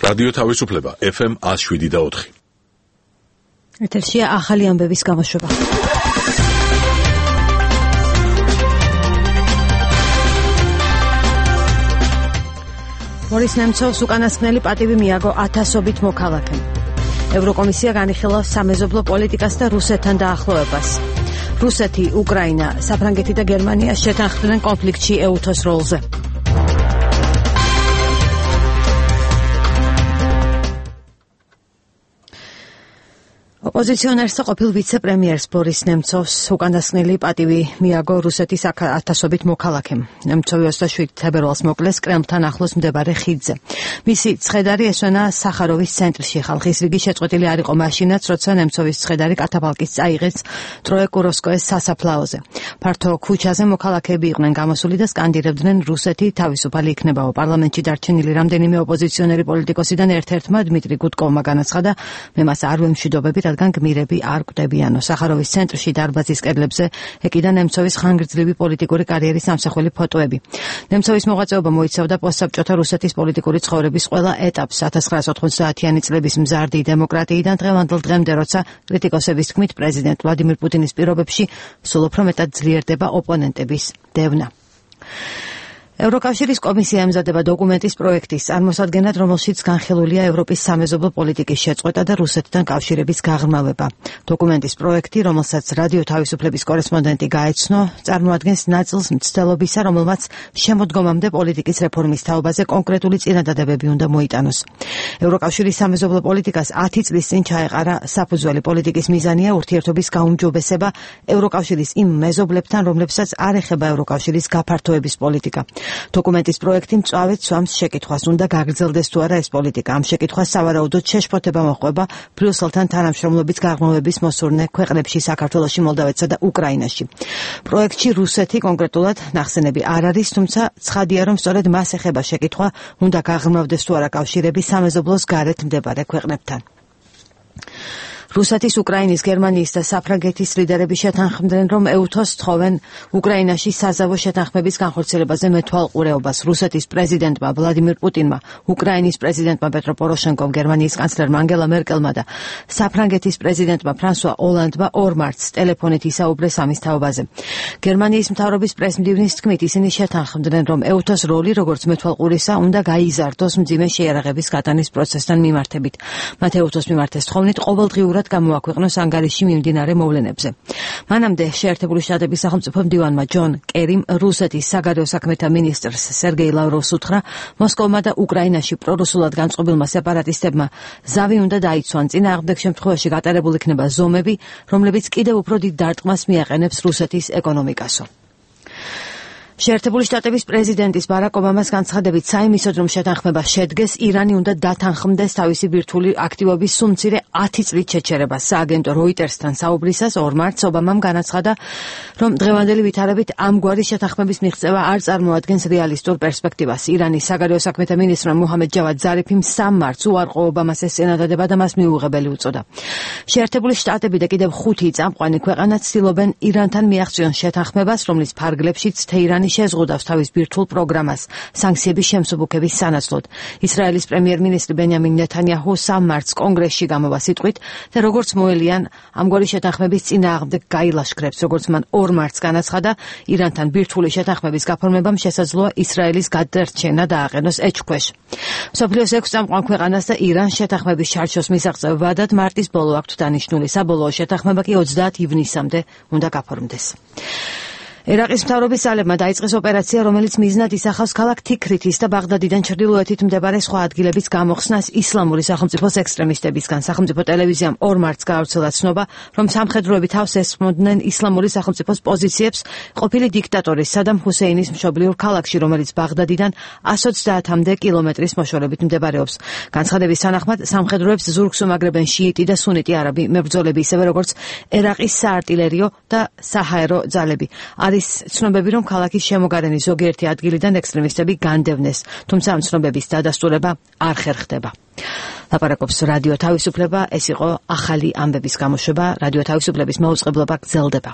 რადიო თავისუფლება FM 107.4. ეთერშია ახალი ამბების გამოშვება. ბორის ნემცოვს უკანასკნელი პატივი მიაგო 1000-ობით მოქალაქემ. ევროკომისია განიხილავს სამეზობლო პოლიტიკას და რუსეთთან დაახლოებას. რუსეთი, უკრაინა, საფრანგეთი და გერმანია შეთანხმდნენ კონფლიქტში ეუთოს როლზე. ოპოზიციონერს და ყოფილ ვიცე-პრემიერს ბორის ნემცოვს უკანასკნელი პატივი მიაგო რუსეთის 1000-ობით მოქალაქემ. ნემცოვი 27 თებერვალს მოკლეს კრემლთან ახლოს მდებარე ხიდზე. მისი ცხედარი ესვენა სახაროვის ცენტრში. ხალხის რიგი შეწყვეტილი არ იყო მაშინაც, როცა ნემცოვის ცხედარი კათაფალკის წაიღეს ტროე კუროსკოეს სასაფლაოზე. ფართო ქუჩაზე მოქალაქეები იყვნენ გამოსული და სკანდირებდნენ რუსეთი თავისუფალი იქნებაო. პარლამენტში დარჩენილი რამდენიმე ოპოზიციონერი პოლიტიკოსიდან ერთ-ერთმა დმიტრი გუდკოვმა განაცხადა, მე მას არ ვემშვიდობები, რადგან გმირები არ კვდებიანო. სახაროვის ცენტრში დარბაზის კედლებზე ეკიდა ნემცოვის ხანგრძლივი პოლიტიკური კარიერის ამსახველი ფოტოები. ნემცოვის მოღვაწეობა მოიცავდა პოსტსაბჭოთა რუსეთის პოლიტიკური ცხოვრების ყველა ეტაპს 1990-იანი წლების მზარდი დემოკრატიიდან დღევანდელ დღემდე, როცა კრიტიკოსების თქმით პრეზიდენტ ვლადიმირ პუტინის პირობებში სულ უფრო მეტად ძლიერდება ოპონენტების დევნა. ევროკავშირის კომისია ემზადება დოკუმენტის პროექტის წარმოსადგენად, რომელშიც განხილულია ევროპის სამეზობლო პოლიტიკის შეწყვეტა და რუსეთთან კავშირების გაღრმავება. დოკუმენტის პროექტი, რომელსაც რადიო თავისუფლების კორესპონდენტი გაეცნო, წარმოადგენს ნაწილს მცდელობისა, რომელმაც შემოდგომამდე პოლიტიკის რეფორმის თაობაზე კონკრეტული წინადადებები უნდა მოიტანოს. ევროკავშირის სამეზობლო პოლიტიკას 10 წლის წინ ჩაეყარა საფუძველი. პოლიტიკის მიზანია ურთიერთობის გაუმჯობესება ევროკავშირის იმ მეზობლებთან, რომლებსაც არ ეხება ევროკავშირის გაფართოების პოლიტიკა. დოკუმენტის პროექტი მწვავედ სვამს შეკითხვას, უნდა გაგრძელდეს თუ არა ეს პოლიტიკა. ამ შეკითხვას სავარაუდოდ შეშფოთება მოჰყვება ბრიუსელთან თანამშრომლობის გაღრმავების მოსურნე ქვეყნებში, საქართველოში, მოლდავეთსა და უკრაინაში. პროექტში რუსეთი კონკრეტულად ნახსენები არ არის, თუმცა ცხადია, რომ სწორედ მას ეხება შეკითხვა, უნდა გაღრმავდეს თუ არა კავშირები სამეზობლოს გარეთ მდებარე ქვეყნებთან. რუსეთის, უკრაინის, გერმანიის და საფრანგეთის ლიდერები შეთანხმდნენ, რომ ეუთოს თხოვენ უკრაინაში საზავო შეთანხმების განხორციელებაზე მეთვალყურეობას. რუსეთის პრეზიდენტმა ვლადიმირ პუტინმა, უკრაინის პრეზიდენტმა პეტრო პოროშენკომ, გერმანიის კანცლერმა ანგელა მერკელმა და საფრანგეთის პრეზიდენტმა ფრანსუა ოლანდმა 2 მარტს ტელეფონით ისაუბრეს ამის თაობაზე. გერმანიის მთავრობის პრესმდივნის თქმით, ისინი შეთანხმდნენ, რომ ეუთოს როლი, როგორც მეთვალყურისა, უნდა გაიზარდოს მძიმე შეიარაღების გატანის პროცესთან მიმართებით. მათ ეუთოს მიმართ ეს თხოვნით ყოველდღიურად გამოაქვეყნოს ანგარიში მიმდინარე მოვლენებზე. მანამდე შეერთებული შტატების სახელმწიფო მდივანმა ჯონ კერიმ რუსეთის საგარეო საქმეთა მინისტრს სერგეი ლავროვს უთხრა, მოსკოვმა და უკრაინაში პრორუსულად განწყობილმა სეპარატისტებმა ზავი უნდა დაიცვან, წინააღმდეგ შემთხვევაში გატარებულ იქნება ზომები, რომლებიც კიდევ უფრო დიდ დარტყმას მიაყენებს რუსეთის ეკონომიკასო. შეერთებული შტატების პრეზიდენტის ბარაკ ობამას განცხადებით, საიმისოდ რომ შეთანხმება შედგეს, ირანი უნდა დათანხმდეს თავისი ბირთვული აქტივობის სულ მცირე 10 წლით შეჩერებას. სააგენტო როიტერსთან საუბრისას 2 მარტს ობამამ განაცხადა, რომ დღევანდელი ვითარებით ამგვარი შეთანხმების მიღწევა არ წარმოადგენს რეალისტურ პერსპექტივას. ირანის საგარეო საქმეთა მინისტრმა მუჰამედ ჯავად ზარიფიმ 3 მარტს უარყო ობამას ეს წინადადება და მას მიუღებელი უწოდა. შეერთებული შტატები და კიდევ 5 წამყვანი ქვეყანა ცდილობენ ირანთან მიაღწიონ შეთანხმებას, რომლის ფარგლებშიც თეირანი შეზღუდავს თავის ბირთვულ პროგრამას სანქციების შემსუბუქების სანაცვლოდ. ისრაელის პრემიერ-მინისტრი ბენიამინ ნეთანიაჰუ 3 მარტს კონგრესში გამოვა სიტყვით და როგორც მოელიან ამგვარი შეთანხმების წინააღმდეგ გაილაშქრებს. როგორც მან 2 მარტს განაცხადა, ირანთან ბირთვული შეთანხმების გაფორმებამ შესაძლოა ისრაელის გადარჩენა დააყენოს ეჭქვეშ. მსოფლიოს 6 წამყვან ქვეყანას და ირანს შეთანხმების ჩარჩოს მისაღწევად მარტის ბოლო აქვთ დანიშნული. საბოლოო შეთანხმება კი 30 ივნისამდე უნდა გაფორმდეს. ერაყის მთავრობის ძალებმა დაიწყეს ოპერაცია, რომელიც მიზნად ისახავს ქალაქ თიქრითის და ბაღდადიდან ჩრდილოეთით მდებარე სხვა ადგილების გამოხსნას ისლამური სახელმწიფოს ექსტრემისტებისგან. სახელმწიფო ტელევიზიამ 2 მარტს გაავრცელა ცნობა, რომ სამხედროები თავს ესხმოდნენ ისლამური სახელმწიფოს პოზიციებს ყოფილი დიქტატორის სადამ ჰუსეინის მშობლიურ ქალაქში, რომელიც ბაღდადიდან 130-მდე კილომეტრის მოშორებით მდებარეობს. განცხადების თანახმად, სამხედროებს ზურგს უმაგრებენ შიიტი და სუნიტი არაბი მებრძოლები, ისევე როგორც ერაყის საარტილერიო და საჰაერო ძალები. არის ცნობები, რომ ქალაქის შემოგარენი ზოგიერთი ადგილიდან ექსტრემისტები განდევნეს, თუმცა ამ ცნობების დადასტურება არ ხერხდება. ლაპარაკობს რადიო თავისუფლება, ეს იყო ახალი ამბების გამოშვება, რადიო თავისუფლების მოუწყებლობა გრძელდება.